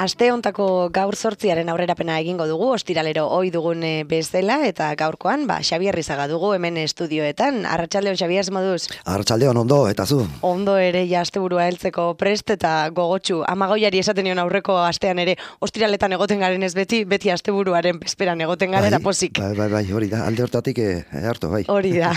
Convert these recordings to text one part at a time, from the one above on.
Aste hontako gaur 8 aurrerapena egingo dugu, ostiralero ohi dugun bezala, eta gaurkoan, Xabier Rizaga dugu hemen estudioetan. Arratsaldeon, Xabier, moduz? Arratsaldeon, ondo, eta zu? Ondo ere, asteburua heltzeko prest eta gogotsu. Amagoiari esaten nion aurreko astean ere, ostiraletan egoten garen ez beti asteburuaren bezperan egoten gara, posik. Bai, hori da, alde hortatik hartu, bai. Hori da.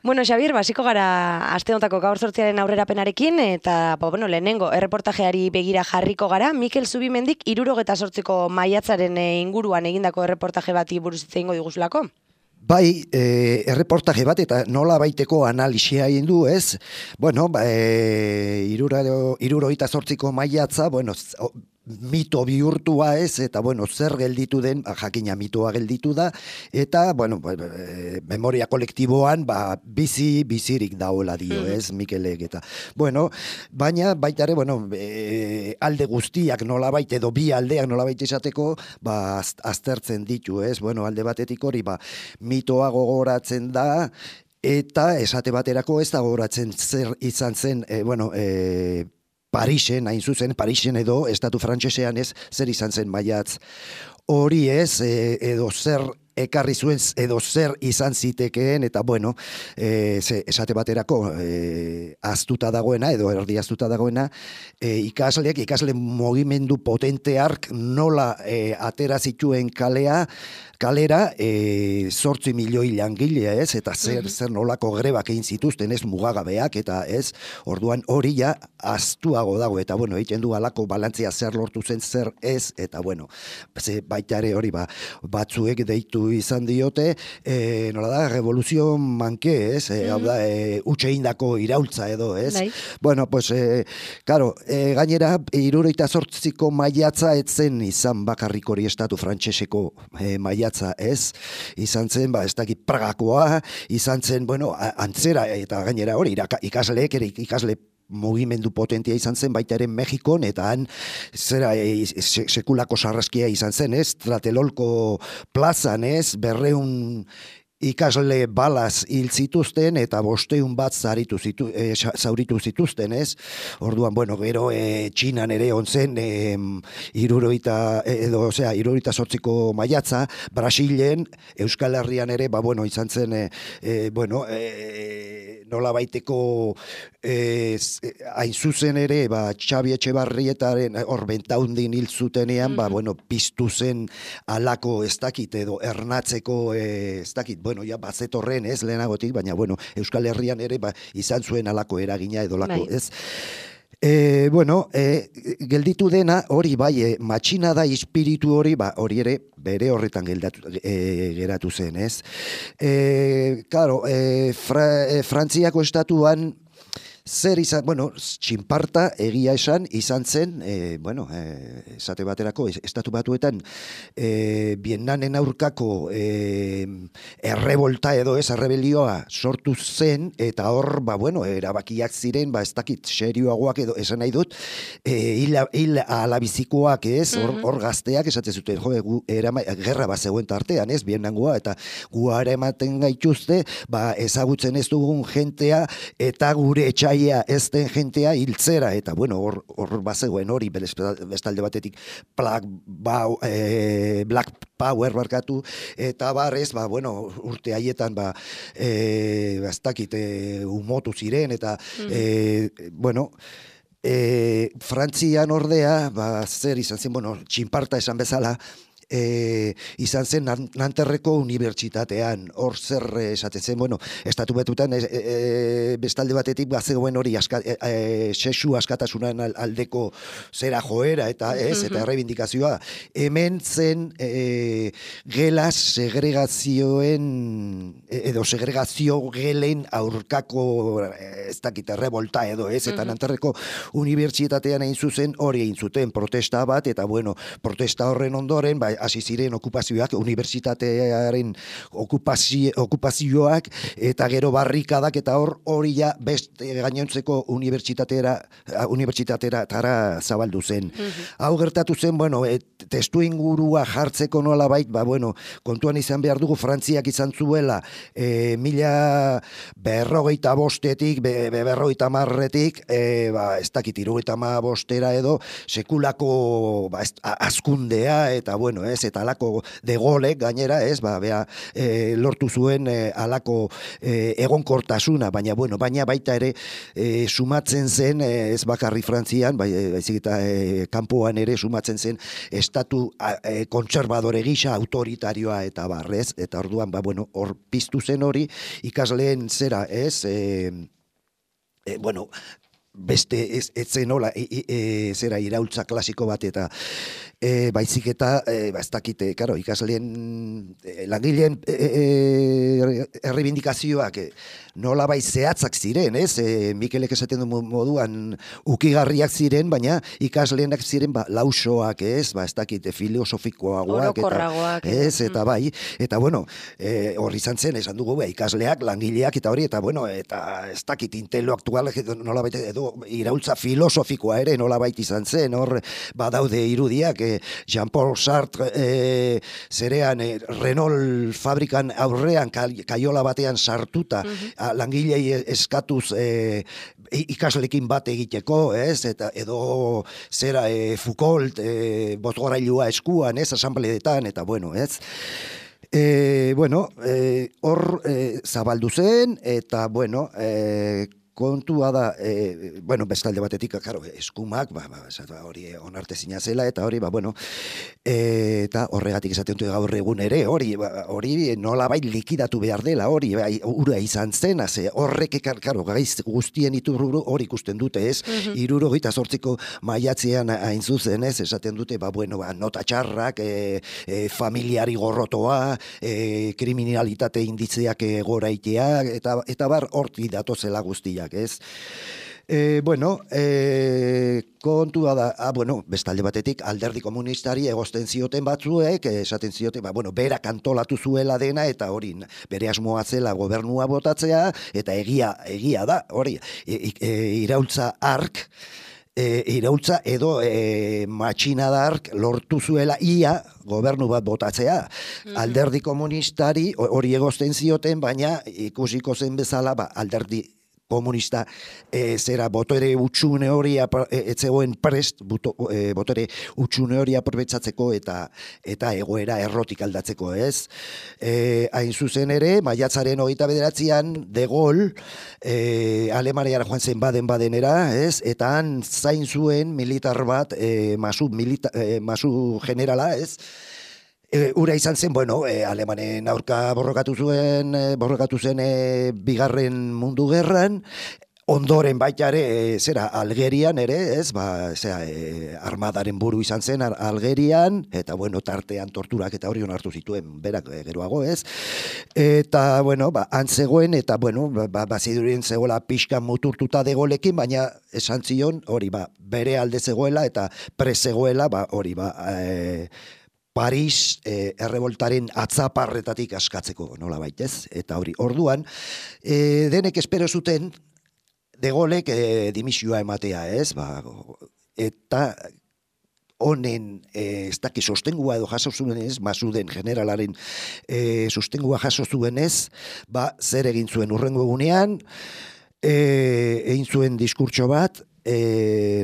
Bueno, Xabier, basiko gara aste hontako gaur 8 aurrerapenarekin, eta, lehenengo, erreportajeari begira jarriko gara, Mikel Zubimendik 78ko maiatzaren inguruan egindako erreportaje bati buruz hitz egingo diguzulako? Bai, erreportaje bat eta nola baiteko analisia egin du, ez? Bueno, 78ko maiatza, mito bihurtua ez, eta zer gelditu den, jakina mitoa gelditu da, eta, memoria kolektiboan, bizirik daola dio, ez, Mikelek, eta, baina, baita ere, alde guztiak nolabait, edo bi aldeak nolabait esateko, aztertzen ditu, ez, alde batetik hori, mitoa gogoratzen da, eta esate baterako ez da gogoratzen zer izan zen, Parisen, hain zuzen, Parisen edo estatu frantsesean ez, zer izan zen maiatz. Hori ez, edo zer ekarri zuen, edo zer izan zitekeen, eta esate baterako aztuta dagoena, edo erdi aztuta dagoena, ikasle mugimendu potente hark nola atera zituen kalera, 8 milioi langile, ez, eta zer nolako grebak egin zituzten, ez, mugagabeak, eta ez, orduan hori ja aztuago dago, eta egiten du alako balantzia zer lortu zen, zer ez, eta baita ere hori batzuek deitu izan diote, nola da, revoluzio manke, ez, hau da, utxeindako iraultza edo, ez. Gainera, 78ko maiatza etzen izan bakarrik hori estatu frantseseko maiatza, ez, izan zen, ez dakit Pragakoa, izan zen, antzera, eta gainera hori, ikasle mugimendu potentia izan zen baita ere Mexikon, eta han sekulako sarraskia izan zen, ez, Tlatelolko plazan, ez, 200 ikasle balaz hil zituzten eta 500 bat zauritu zituzten, ez? Orduan, gero Txinan ere onzen 78ko maiatza, Brasilen, Euskal Herrian ere, izan zen, nola baiteko hain zuzen ere, Xabi Etxebarrietaren Bentaundin hil zutenean, piztu zen alako ez dakit, edo ernatzeko ez dakit, bazetorren ez lehenagotik, baina Euskal Herrian ere izan zuen alako eragina edo lako, ez? Gelditu dena hori matxina da espiritu hori, hori ere bere horretan geratu zen, ez? Frantziako estatuan zer izan, txinparta egia esan izan zen, esate baterako, estatu batuetan, Vietnamen aurkako errebolta edo ez, errebelioa sortu zen, eta hor, erabakiak ziren, ez dakit, serioagoak edo, esan nahi dut, hil alabizikoak ez, hor gazteak esatzen zuten, gerra bat zegoen tartean ez, Vietnamgoa, eta guara ematen gaituzte, ezagutzen ez dugun jentea, eta gure etxai ez den jentea hiltzera, eta hor bazegoen hori bestalde batetik Black Power barkatu, eta barrez, urte haietan ez dakit umotu ziren, eta Frantzian ordea, zer izan zen, txinparta esan bezala, izan zen Nanterreko unibertsitatean, hor zer esaten zen, estatu betutan bestalde batetik bazegoen hori sexu askatasunan aldeko zera joera eta eta errebindikazioa. Hemen zen gela segregazioen edo segregazio gelen aurkako ez dakit errebolta edo eta Nanterreko unibertsitatean egin zuzen hori egin zuten protesta bat, eta protesta horren ondoren hasi ziren okupazioak, unibertsitatearen okupazioak, eta gero barrikadak, eta hori ja beste gainontzeko unibertsitatera tara zabaldu zen. Hau gertatu zen, bueno, testu ingurua jartzeko nolabait, kontuan izan behar dugu Frantziak izan zuela, 1945-etik, 1950-etik, ez dakit, 1950-era edo, sekulako azkundea, eta eta alako de golek gainera, lortu zuen alako egonkortasuna, baina baita ere sumatzen zen, ez bakarri Frantzian, baizik eta kanpoan ere sumatzen zen estatu kontserbadore gisa, autoritarioa eta barrez, eta orduan, hor piztu zen hori, ikasleen zera, beste ez zen nola zera iraultza klasiko bat eta baizik eta ez dakite, karo, ikasleen langileen errebindikazioak nola bai zehatzak ziren, Mikelek esaten du moduan ukigarriak ziren, baina ikasleenak ziren lausoak, ez dakite, filosofikoagoak, eta bai, eta hor izan zen, esan dugu, ikasleak, langileak, eta hori, eta ez dakit, intelektualak nola baita, edo iraultza filosofikoa ere nola baita izan zen, hor badaude irudiak, Jean-Paul Sartre zerean Renault fabrikan aurrean kaiola batean sartuta, langilei eskatuz ikaslekin bat egiteko, eta edo zera Foucault bozgorailua eskuan, asambleetan, eta hor zabaldu zen, eta kontua da, bestalde batetik, eskumak, hori onartezina zela, eta hori, eta horregatik esaten dute gaur egun ere, hori nolabait likidatu behar dela, hori, ura izan zen, horrek, gaiz guztien iturru hori ikusten dute, ez? 78ko maiatzean hain zuzen, ez? Esaten dute, nota txarrak, familiari gorrotoa, kriminalitate inditzeak goraitea, eta bar, horti datozela guztiak, ez? Kontua da, bestalde batetik, alderdi komunistari egozten zioten batzuek, esaten zioten, berak antolatu zuela dena, eta hori, bere asmoa zela gobernua botatzea, eta egia da, hori, iraultza ark, iraultza edo matxinadark lortu zuela ia gobernu bat botatzea. Alderdi komunistari hori egozten zioten, baina ikusiko zen bezala, alderdi komunista zera botere utxune hori etzegoen prest botere utxune hori aprobetsatzeko eta egoera errotik aldatzeko, ez? Hain zuzen ere, maiatzaren 29an De Gaulle Alemaniara joan zen badenera, ez? Eta han zain zuen militar bat, masu generala, ez? Ura izan zen, Alemanen aurka borrokatu zen bigarren mundu gerran, ondoren baita ere, Algerian ere, ez, armadaren buru izan zen Algerian, eta, tartean torturak eta hori onartu zituen, berak geroago, ez, eta, antzegoen, eta, bazidurien zegoela pixkan muturtuta De Gaullekin, baina esan zion, hori, bere alde zegoela, eta prezegoela, hori, Paris erreboltaren atzaparretatik askatzeko, nola baitez, eta hori, orduan, denek espero zuten De Gaulek dimisioa ematea, ez, eta honen, ez daki sostengua edo jaso zuenez, Masuden generalaren sostengua jaso zuenez, zer egin zuen urrengo egunean, egin zuen diskurtso bat,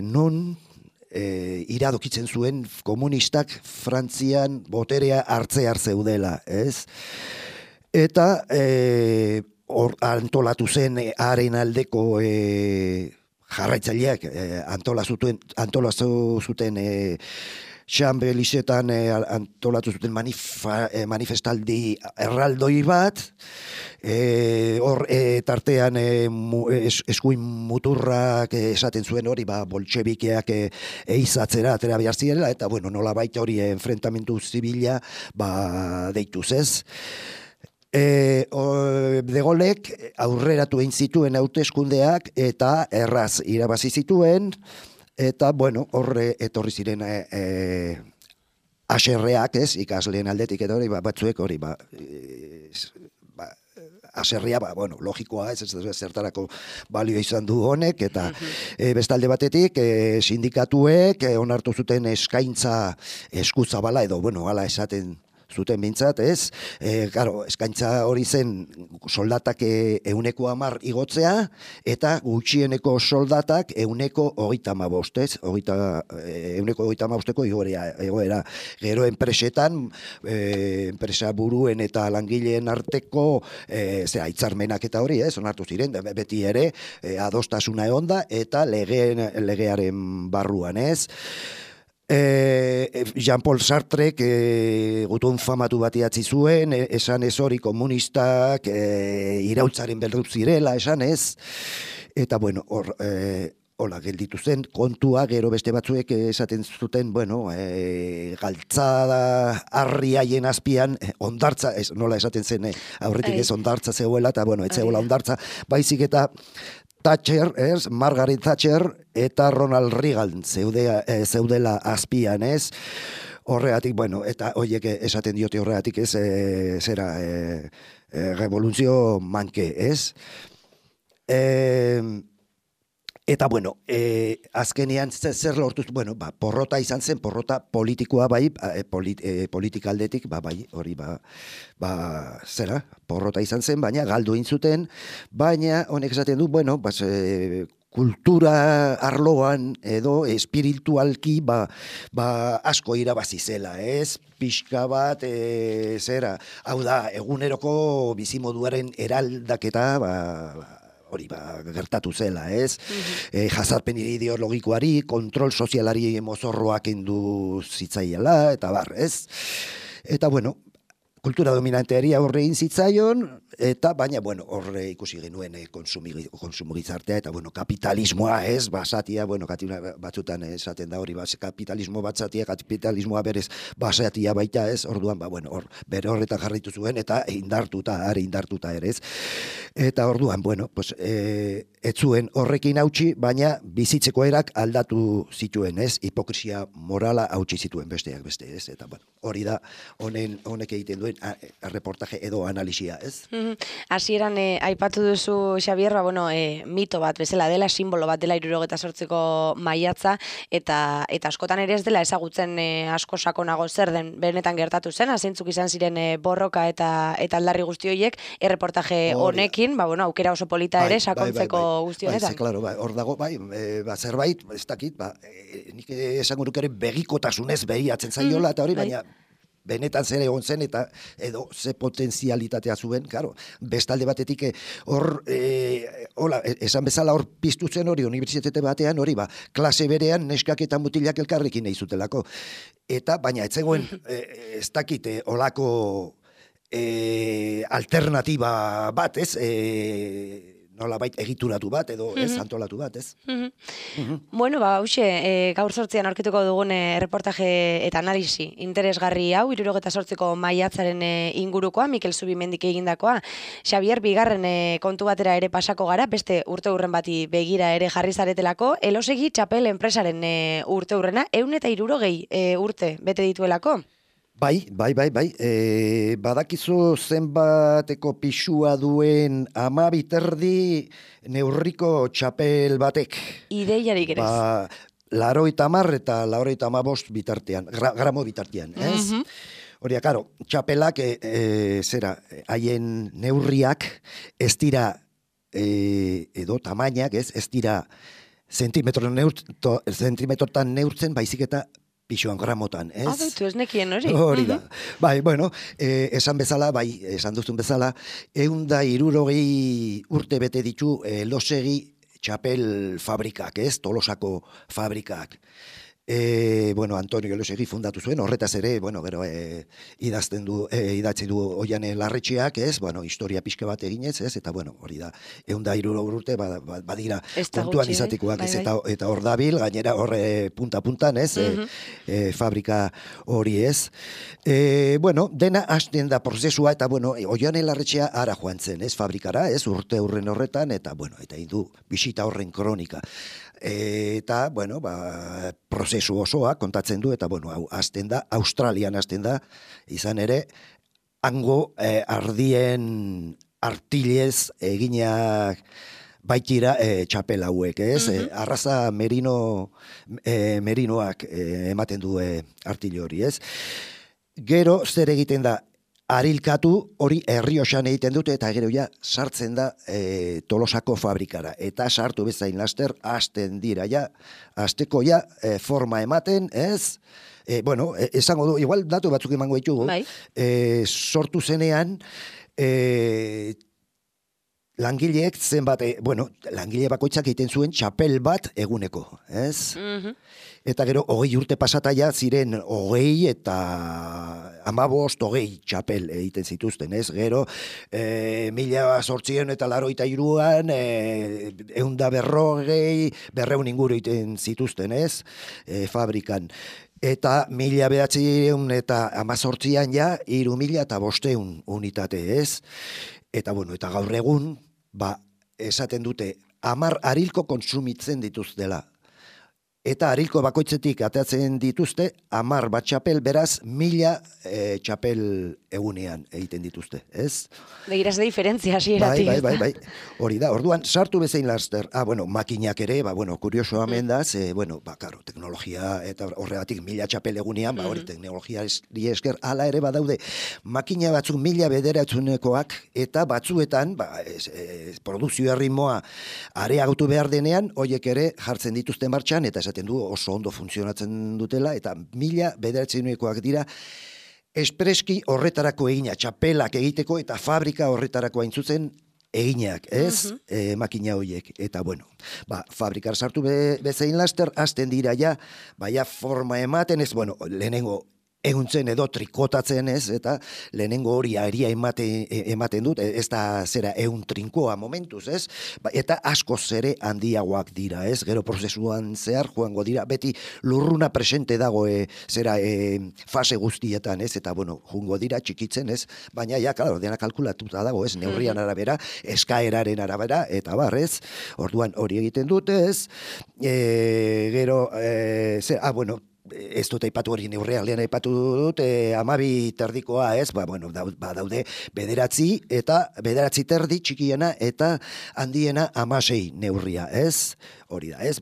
non iradokitzen zuen komunistak Frantzian boterea hartzear zeudela, ez? Eta antolatu zen haren aldeko jarraitzaileak antolatu zuten Champs-Élysées-etan antolatu zuten manifestaldi erraldoi bat, hor tartean eskuin muturrak esaten zuen hori, boltxebikeak eizatzera atera behar zirela, eta nola baita hori enfrentamentu zibila deituz, ez? De Gaulek aurreratu egin zituen hauteskundeak eta erraz irabazi zituen, eta horre etorri ziren aserreak, ez, ikasleen aldetik eta hori, batzuek hori, aserria, bueno, logikoa, ez zertarako balio izan du honek, eta bestalde batetik, sindikatuek onartu zuten eskaintza eskuzabala, edo, bueno, hala esaten zuten bintzat, ez? Claro, eskaintza hori zen soldatak 110 igotzea, eta gutxieneko soldatak 135, ez? 135 igoera. Gero enpresetan, enpresa buruen eta langileen arteko hitzarmenak eta hori, ez? Onartu ziren, beti ere, adostasuna egonda, eta legearen barruan, ez? Jean-Paul Sartrek gutun famatu bat idatzi zuen, esan ez hori komunistak irautzaren beldur zirela, esan ez, eta bueno, hola gelditu zen, kontua gero beste batzuek esaten zuten, bueno, galtzada harri haien azpian, ondartza, nola esaten zen, aurretik ez ondartza zegoela, eta bueno, ez zegoela ondartza, baizik eta Thatcher, Margaret Thatcher eta Ronald Reagan zeudela azpian, ez? Horregatik, bueno, eta horiek esaten diote horregatik, ez, revoluzio manke, ez? Eta, bueno, azkenean zer lortuz, bueno, porrota izan zen, porrota politikoa bai, politika aldetik, bai, hori, zera, porrota izan zen, baina galdu intzuten, baina honek esaten du, bueno, kultura arloan edo espiritualki asko irabazi zela, ez? Pixka bat, zera, hau da, eguneroko bizimoduaren eraldaketa, hori gertatu zela, ez? Jazarpen ideologikoari, kontrol sozialari mozorroak endu zitzaiela, eta ez? Eta, bueno, kultura dominanteari aurre egin zitzaion, eta baina, bueno, horre ikusi genuen konsumo gizartea, eta, bueno, kapitalismoa, ez? Basatia, bueno, batzutan esaten da hori, kapitalismo batzatia, kapitalismoa berez basatia baita, ez? Orduan, bueno, bere horretan jarritu zuen, eta indartuta ere, ez? Eta orduan, bueno, pues, ez zuen horrekin hautsi, baina bizitzeko erak aldatu zituen, ez? Hipokresia morala hautsi zituen besteak beste, ez? Eta, bueno, hori da, honek egiten duen reportaje edo analisia, ez? Hasieran aipatu duzu, Xabier, bueno, mito bat bezala dela, simbolo bat dela 78ko maiatza, eta askotan ere ez dela ezagutzen asko sakonago zer den benetan gertatu zen, zeintzuk izan ziren borroka eta aldarri guzti horiek, erreportaje honekin, bueno, aukera oso polita ere sakontzeko guzti honetan. Claro, hor dago, zerbait, ez dakit, nik esango nuke ere begikotasunez behiatzen zaiola, eta hori, baina benetan zer egon zen, eta edo ze potentzialitatea zuen, claro, bestalde batetik hor, esan bezala hor piztu zen hori, unibertsitate batean hori, klase berean neskak eta mutilak elkarrekin nahi zutelako. Eta, baina, ez zegoen, ez dakit, olako alternatiba bat, ez? Nolabait egituratu bat, edo ez, antolatu bat, ez? Bueno, hauxe, gaur 8an aurkituko dugun reportaje eta analisi interesgarri hau, 78ko maiatzaren ingurukoa, Mikel Zubimendik egindakoa. Xabier, bigarren kontu batera ere pasako gara, beste urteurren bati begira ere jarri zaretelako, Elosegi txapel enpresaren urteurrena, 160 urte bete dituelako? Bai. Badakizu zenbateko pisua duen 12 neurriko txapel batek. Ideiarik ere. 80 eta 85 bitartean, gramo bitartean, ez? Hori, karo, txapelak, haien neurriak ez dira, edo tamainak, ez dira zentimetrotan neurtzen, baizik eta pixuan gramotan, ez? Baitu, ez nekien hori. Hori da. Bai, bueno, esan duzun bezala, 160 urte bete ditu Elosegi txapel fabrikak, ez? Tolosako fabrikak. Bueno, Antonio Elosegi fundatu zuen, horretaz ere, bueno, gero idatzi du Oiane Larretxeak, ez? Bueno, historia pixka bat eginez, ez? Eta, bueno, hori da, 160 urte badira kontuan izatikoak, ez? Eta hor dabil, gainera hor punta-puntan, ez? Fabrika hori, ez? Bueno, dena hasten da prozesua, eta, bueno, Oiane Larretxea ara joan zen, ez? Fabrikara, ez? Urte hurren horretan, eta, bueno, eta indu bisita horren kronika. Eta, bueno, prozesu osoa kontatzen du, eta, bueno, hau hasten da, Australian hasten da, izan ere, hango ardien artilez eginak baitira txapel hauek, ez? Arraza merinoak ematen du artile hori, ez? Gero, zer egiten da, arilkatu hori Errioxan egiten dute, eta gero ja sartzen da Tolosako fabrikara. Eta sartu bezain laster, hasten dira ja, hasteko ja forma ematen, ez? Bueno, esango du, igual datu batzuk emango ditugu, sortu zenean, langileek zenbat, langile bakoitzak egiten zuen txapel bat eguneko, ez? Eta gero, 20 urte pasataia ziren 20 eta 15-20 txapel egiten zituzten, ez? Gero, 1883an, 140 inguru egiten zituzten, ez? Fabrikan. Eta 1918an ja, 3500 unitate, ez? Eta, bueno, eta gaur egun, esaten dute, 10 arilko kontsumitzen dituztela. Eta arilko bakoitzetik ateatzen dituzte, 10 bat txapel, beraz, 1000 txapel egunean egiten dituzte, ez? Begiraz de diferentzia, hasieratik. Bai. Hori da, orduan, sartu bezain laster, makinak ere, kurioso hemen da, karo, teknologia, eta horregatik 1000 txapel egunean, hori teknologia esker, hala ere badaude, makina batzuk 1000 bederatzunekoak, eta batzuetan, produzio erritmoa areagotu behar denean, horiek ere jartzen dituzten martxan, eta esaten du oso ondo funtzionatzen dutela, eta 1000 bederatzunekoak dira, espreski horretarako egina, txapelak egiteko eta fabrika horretarako hain zuzen eginak, ez? Makina horiek. Eta, bueno, fabrikar sartu bezain laster, hasten dira ja, forma ematen, ez, lehenengo eguntzen edo trikotatzen, ez? Eta lehenengo hori aria ematen dut, ez da zera egun trinkoa momentuz, ez? Eta asko zere handiagoak dira, ez? Gero prozesuan zehar joango dira, beti lurruna presente dago fase guztietan, ez? Eta, jungo dira txikitzen, ez? Baina, ja, claro, dena kalkulatuta dago, ez? Neurrian arabera, eskaeraren arabera, eta barrez, orduan hori egiten dute, ez? Gero, ez dut aipatu hori neurrean aipatu dut, 12 terdikoa, ez? Daude bederatzi terdi txikiena eta handiena 16 neurria, ez? Hori da, ez?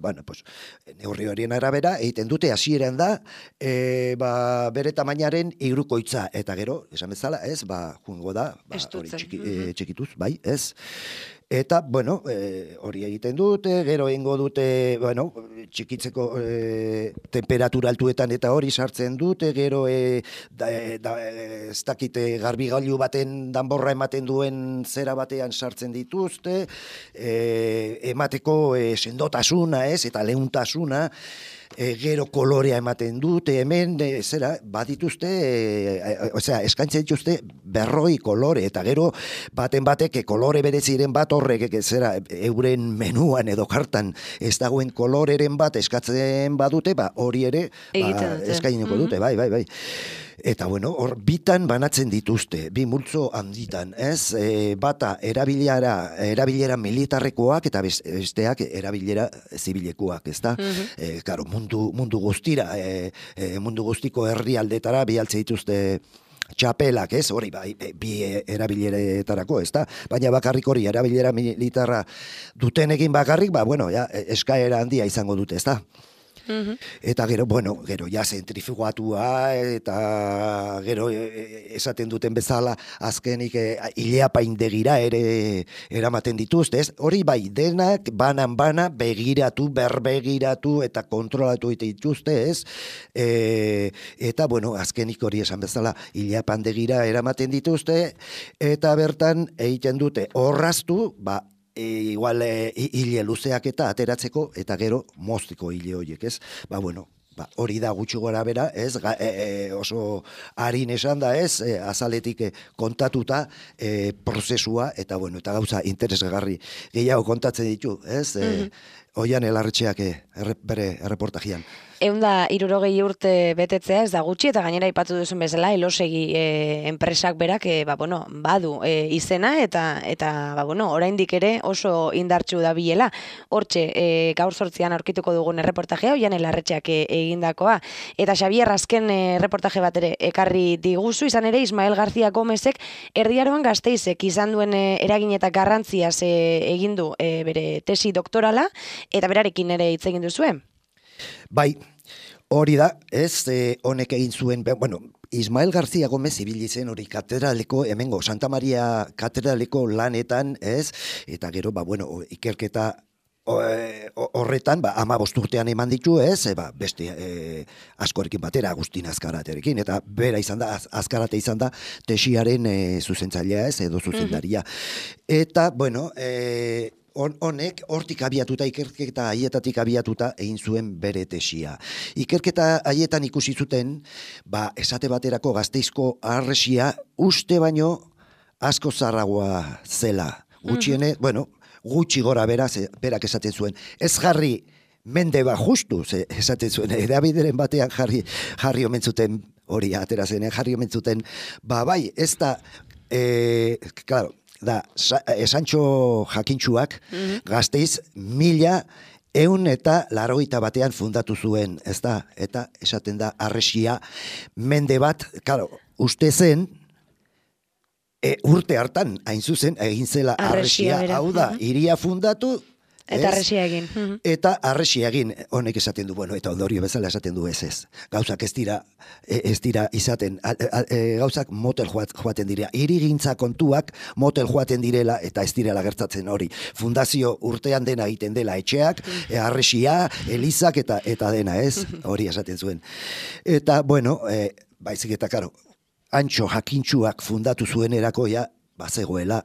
Neurri horien arabera, egiten dute hasieran da, bere tamainaren hirukoitza, eta gero, esan bezala, ez? Jungo da, hori txikituz, bai, ez? Eta, hori egiten dute, gero egingo dute, txikitzeko temperatura altuetan eta hori sartzen dute, gero ez dakite garbigailu baten danborra ematen duen zera batean sartzen dituzte, emateko sendotasuna, ez, eta leuntasuna, gero kolorea ematen dute, hemen, badituzte, eskaintzen dituzte 200 kolore, eta gero baten batek kolore bereziren bat horrek, euren menuan edo kartan ez dagoen koloreren bat eskatzen badute, hori ere eskaineko dute, bai. Eta, hor bitan banatzen dituzte, bi multzo handitan, ez? Bata erabilera militarrekoak eta besteak erabilera zibilekoak, ez da? Karo, mundu guztira, mundu guztiko herrialdetara bialtze dituzte txapelak, ez? Hori, bi erabileretarako, ez da? Baina bakarrik hori, erabilera militarra dutenekin bakarrik, eskaera handia izango dute, ez da? Eta gero, ja zentrifugatua, eta gero esaten duten bezala azkenik ileapaindegira ere eramaten dituzte, ez? Hori bai, denak bana begiratu, berbegiratu eta kontrolatu dituzte, ez? Eta, azkenik hori esan bezala ileapaindegira eramaten dituzte, eta bertan egiten dute orraztu, igual hile luzeak eta ateratzeko, eta gero moztiko hile horiek, ez? Hori da gutxi gora bera, ez? Oso harin esan da, ez? Azaletik kontatuta prozesua, eta eta gauza interesgarri gehiago kontatzen ditu, ez? Oian Elarretxeak bere erreportajian. 160 urte betetzea ez da gutxi, eta gainera aipatu duzun bezala, Elosegi enpresak berak badu izena, eta oraindik ere oso indartsu dabilela. Hortxe, gaur 8 aurkituko dugun erreportajea, Oian Elarretxeak egindakoa. Eta Xabier, azken erreportaje bat ere ekarri diguzu, izan ere Ismael García Gómezek Erdi Aroan Gasteizek izan duen eragin eta garrantziaz egin du bere tesi doktorala, eta berarekin ere hitz egin duzue. Bai, hori da, ez, honek egin zuen, Ismael García Gómez ibili zen hori katedraleko, hemengo Santa Maria katedraleko lanetan, ez, eta gero, ikerketa horretan, 15 urtean eman ditu, ez, beste askorekin batera, Agustin Azkaraterekin, eta bera izan da, Azkarate izan da, tesiaren zuzentzailea, ez, edo zuzendaria. Eta, honek hortik abiatuta, ikerketa haietatik abiatuta egin zuen bere tesia. Ikerketa haietan ikusi zuten, esate baterako Gasteizko harresia uste baino asko zarragoa zela. Gutxiene, gutxi gora berak esaten zuen. Ez jarri mende justu, esaten zuen, edabideren batean jarri omen zuten, hori atera zen, jarri omen zuten, ez da, claro, da, esantxo jakintxuak Gasteiz 1181 fundatu zuen, ez da, eta esaten da harresia mende bat, claro, uste zen, urte hartan, hain zuzen, egin zela harresia, hau da, hiria fundatu, eta harresia egin. Eta harresia egin, honek esaten du, eta ondorio bezala esaten du ez. Gauzak ez dira izaten, gauzak motel joaten dira. Hirigintza kontuak motel joaten direla eta ez direla gertatzen hori. Fundazio urtean dena egiten dela etxeak, harresia, elizak eta dena, ez? Hori esaten zuen. Eta, baizik eta, karo, antxo jakintxuak fundatu zuen erakoia, bazegoela,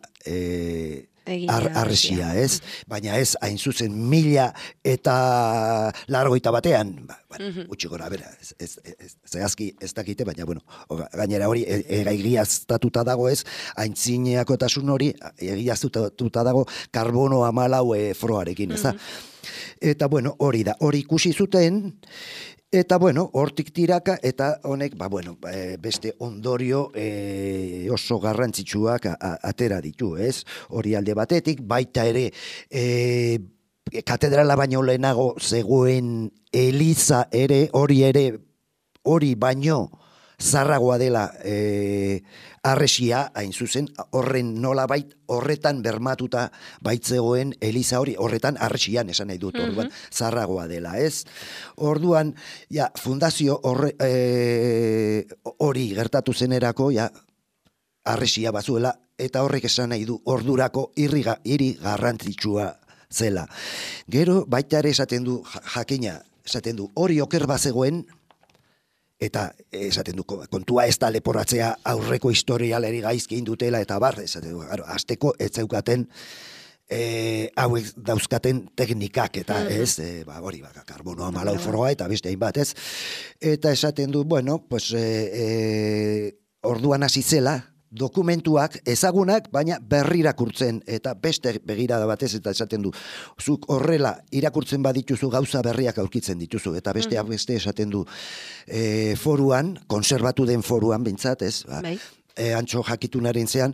harresia, ez? Baina ez, hain zuzen 1181, utxi gora, bera, zehazki ez dakite, baina, gainera hori, egiaztatuta dago ez, aintzineakotasun hori, egiaztatuta dago, karbono 14 froarekin, ez da? Eta, hori da, hori ikusi zuten, eta, hortik tiraka, eta honek, beste ondorio oso garrantzitsuak atera ditu, ez? Hori alde batetik, baita ere, katedrala baino lehenago zegoen eliza ere, hori baino zarragoa dela harresia, hain zuzen, horren nolabait, horretan bermatuta baitzegoen eliza hori, horretan harresian esan nahi dut, orduan zarragoa dela, ez? Orduan, fundazio hori gertatu zenerako, harresia bazuela, eta horrek esan nahi du, ordurako hiri garrantzitsua zela. Gero, baita ere esaten du, jakina, esaten du, hori oker bazegoen, eta esaten du, kontua ez da leporatzea aurreko historialeri gaizki indutela, eta esaten du, azteko ez zeukaten hauek dauzkaten teknikak, eta ez, hori, karbono 14 froa, eta beste hainbat, ez? Eta esaten du, orduan hasi zela, dokumentuak ezagunak, baina berrirakurtzen, eta beste begirada batez, eta esaten du, zuk horrela irakurtzen badituzu gauza berriak aurkitzen dituzu, eta beste esaten du, foruan, konserbatu den foruan, bintzat, ez? Antxo jakitunaren zean,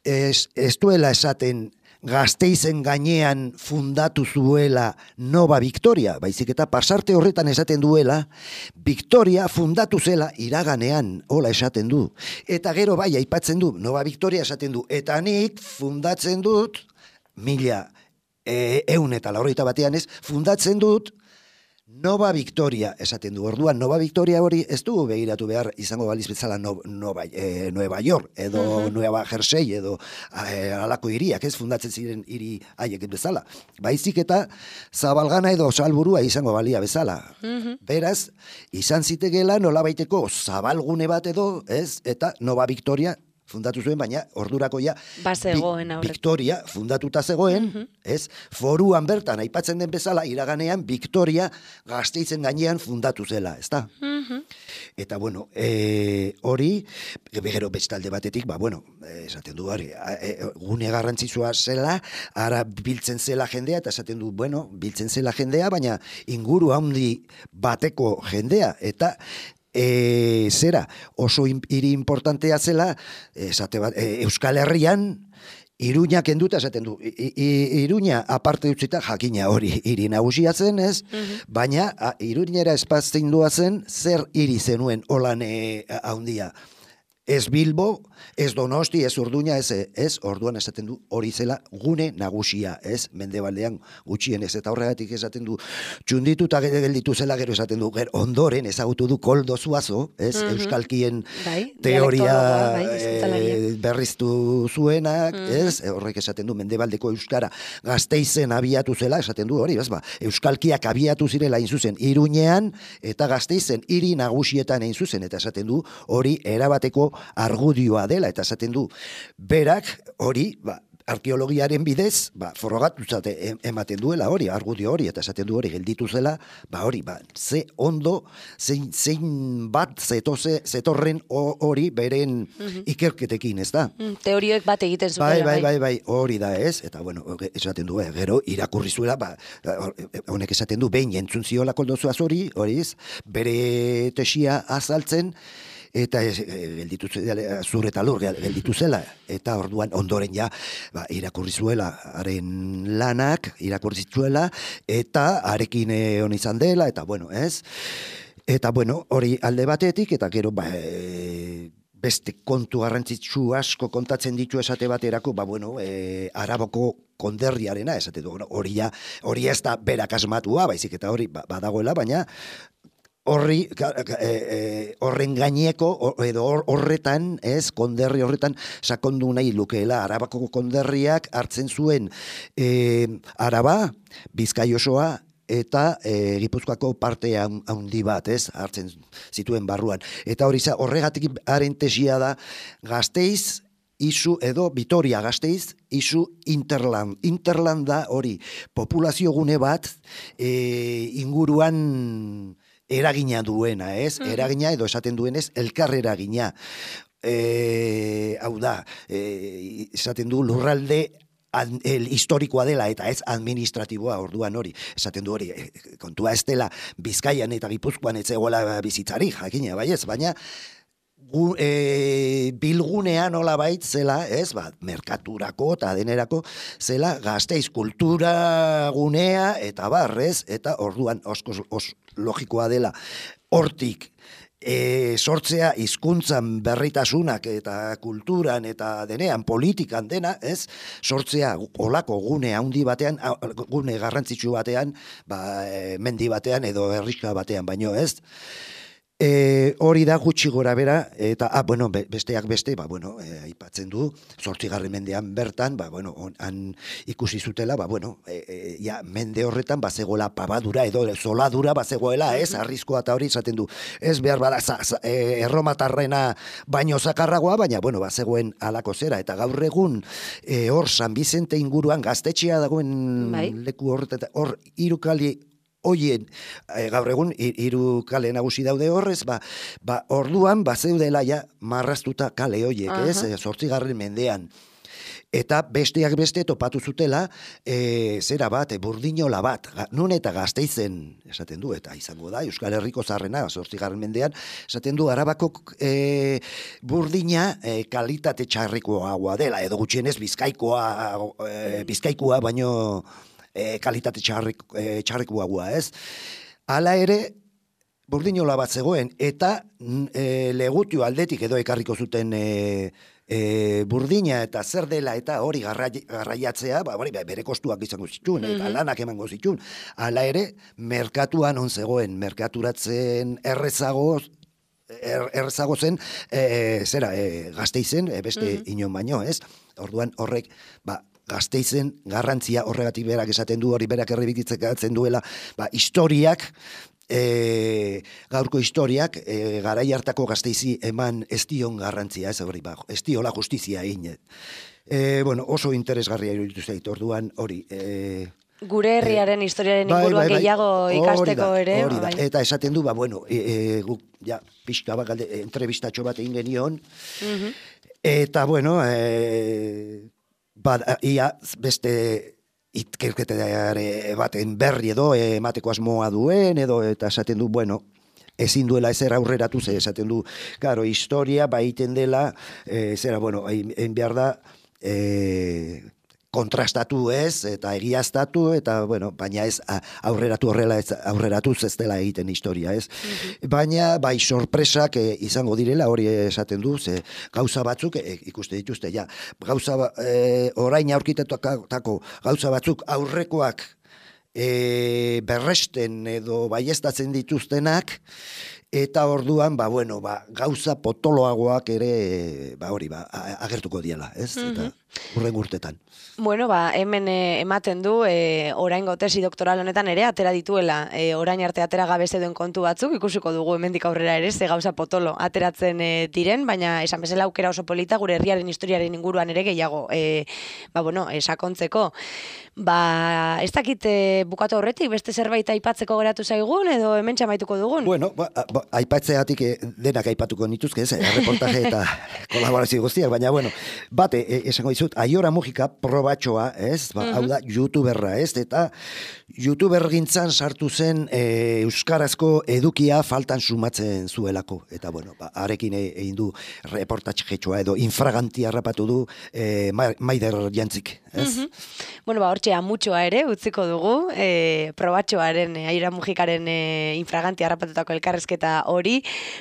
ez duela esaten Gasteizen gainean fundatu zuela Nova Victoria, baizik eta pasarte horretan esaten duela, Victoria fundatu zela iraganean, hola esaten du. Eta gero aipatzen du, Nova Victoria esaten du, eta nik fundatzen dut, 1181 ez, fundatzen dut Nova Victoria esaten du. Orduan, Nova Victoria hori ez du begiratu behar izango baliz bezala Nueva York, edo Nueva Jersey, edo alako hiriak, ez fundatzen ziren hiri haiek bezala. Baizik eta Zabalgana edo Salburua izango balia bezala. Beraz, izan zitegela nolabaiteko zabalgune bat edo, ez, eta Nova Victoria fundatu zuen, baina ordurako Victoria fundatuta zegoen, ez? Foruan bertan aipatzen den bezala iraganean Victoria Gasteizen gainean fundatu zela, ezta? Eta, bueno, hori, gero bestalde batetik, esaten du hori, gune garrantzitsua zela, ara biltzen zela jendea, eta esaten du, biltzen zela jendea, baina inguru handi bateko jendea, eta zera, oso hiri importantea zela, Euskal Herrian, Iruña kenduta esaten du, Iruña aparte utzita jakina hori hiri nagusia zen, ez? Baina Iruñera espazteindua zen zer hiri zenuen holan handia. Ez Bilbo, ez Donosti, ez Urduña, ez orduan esaten du hori zela gune nagusia, ez? Mendebaldean gutxienez eta horregatik esaten du txundituta gelditu zela, gero esaten du ondoren ezagutu du Koldo Zuazo, ez? Euskalkien teoria berriztu zuenak, ez? Horrek esaten du Mendebaldeko euskara Gasteizen abiatu zela, esaten du hori, ez ba? Euskalkiak abiatu zirela hain zuzen Iruñean eta Gasteizen hiri nagusietan hain zuzen, eta esaten du hori erabateko argudioa dela, eta esaten du berak hori, arkeologiaren bidez, frogatutzat ematen duela hori, argudio hori, eta esaten du hori gelditu zela, hori, ze ondo, zein bat zetorren hori beren ikerketekin, ez da? Teorioek bat egiten zutela. Bai, hori da ez, eta esaten du, gero irakurri zuela, honek esaten du, behin entzun ziola Koldo Zuazo hori, bere tesia azaltzen, eta gelditu zela, zur eta lur gelditu zela, eta orduan ondoren ja irakurri zuela haren lanak, irakurri zuela, eta harekin hon izan dela, eta ez? Eta hori alde batetik, eta gero beste kontu garrantzitsu asko kontatzen ditu esate baterako, Araboko konderriarena, esate du, hori ez da berak asmatua, baizik eta hori badagoela, baina horren gaineko, edo horretan, konderri horretan, sakondu nahi lukeela, Arabako konderriak hartzen zuen Araba, Bizkai osoa, eta Gipuzkoako parte handi bat, hartzen zituen barruan. Eta horregatik haren tesia da, Gasteiz, isu edo Vitoria Gasteiz, isu Interland. Interland da hori, populazio gune bat, inguruan eragina duena, eragina edo esaten duenez, elkar eragina. Hau da, esaten du lurralde historikoa dela eta ez administratiboa, orduan hori. Esaten du hori, kontua ez dela Bizkaian eta Gipuzkoan ez zegoela bizitzari, jakina, baina bilgunea nola bait zela, merkaturako eta denerako zela Gasteiz kultura gunea eta eta orduan logikoa dela hortik sortzea hizkuntzan berritasunak eta kulturan eta denean politikan dena, sortzea olako gune handi batean, gune garrantzitsu batean, mendi batean edo herrixka batean, baino ez. Hori da gutxi gora bera, eta besteak beste, aipatzen du, 8. mendean bertan, han ikusi zutela, mende horretan bazegoela pabadura edo zoladura bazegoela, arrizkoa eta hori esaten du, ez behar bada erromatarrena baino zakarragoa, baina bazegoen alako zera, eta gaur egun hor San Bizente inguruan gaztetxea dagoen leku horretan, hor irukali hoien, gaur egun, 3 kale nagusi daude horrez, orduan, zeudela ja marraztuta kale hoiek, 8. mendean. Eta besteak beste topatu zutela, zera bat, burdinola bat, nun eta Gasteizen, esaten du, eta izango da, Euskal Herriko zarrena, 8. mendean, esaten du, Arabako burdina kalitate txarrikoa dela, edo gutxienez bizkaikoa, baino kalitate txarrikoa, ez? Hala ere, burdinola bat zegoen, eta Legutio aldetik edo ekarriko zuten burdina eta zer dela eta hori garraiatzea, bere kostuak izango zituen, eta lanak emango zituen. Hala ere, merkatuan on zegoen, merkaturatzen errezago zen, Gasteizen, beste inon baino, ez? Orduan horrek, Gasteizen garrantzia horregatik berak esaten du, hori berak errebititzekatzen duela, historiak, gaurko historiak, garai hartako Gasteizi eman ez dion garrantzia, ez diola justizia egin. Oso interesgarria iruditu zait, orduan hori, Gure herriaren historiaren inguruan gehiago ikasteko ere. Hori da, eta esaten du, bueno, guk, ja, pixka bat, entrevistatxo bat egin genion, eta, bueno, ia beste itkerkete baten berri edo, emateko asmoa duen, edo, eta esaten du, bueno, ezin duela ezer aurreratu, esaten du, claro, historia baiten dela, zera, bueno, egin behar da, kontrastatu ez, eta egiaztatu, eta, bueno, baina ez aurreratu horrela, aurreratuz ez dela egiten historia, ez? Baina, bai, sorpresak izango direla, hori esaten du, ze gauza batzuk, ikuste dituzte, ja, gauza, orain aurkitetako gauza batzuk aurrekoak berresten edo baiestatzen dituztenak, eta orduan, bueno, gauza potoloagoak ere, hori, agertuko diela, ez? Eta hurren urtetan. Bueno, hemen ematen du, oraingo tesi doktoral honetan ere, atera dituela, orain arte atera gabe zeuden kontu batzuk, ikusiko dugu hemendik aurrera ere, ze gauza potolo ateratzen diren, baina esan bezala aukera oso polita, gure herriaren historiaren inguruan ere gehiago, sakontzeko. Ez dakit bukatu horretik, beste zerbait aipatzeko geratu zaigun, edo hemen txamaituko dugun? Bueno, aipatzeatik denak aipatuko nituzke, ez, reportaje eta kolaborazio guztiak, baina, bueno, bate, esango dizut, Aiora Mujika probatxoa, ez, hau da, youtuberra, ez, eta youtuber gintzan sartu zen euskarazko edukia faltan sumatzen zuelako, eta, bueno, arekin egin du reportatxetxoa edo infraganti harrapatu du Maider Jantzik, ez? Bueno, hortxe amutxoa ere, utziko dugu, probatxoaren, Aiora Mujikaren infraganti harrapatutako elkarrezketa hori,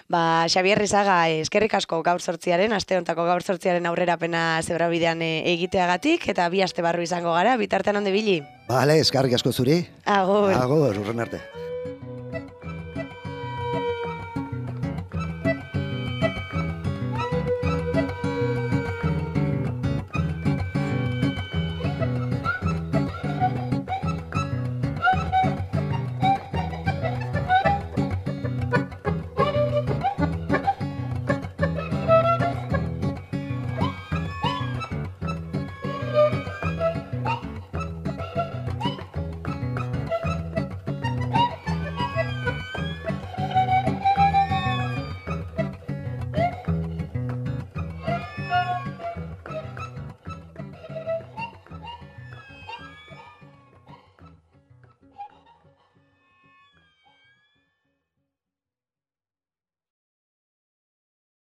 Xabier Rizaga, eskerrik asko gaur sortziaren, aste hontako gaur sortziaren aurrerapena zebrabidean egiteagatik, eta bi aste barru izango gara, bitartean onde bili. Bale, eskerrik asko zuri. Agur. Agur, urren arte.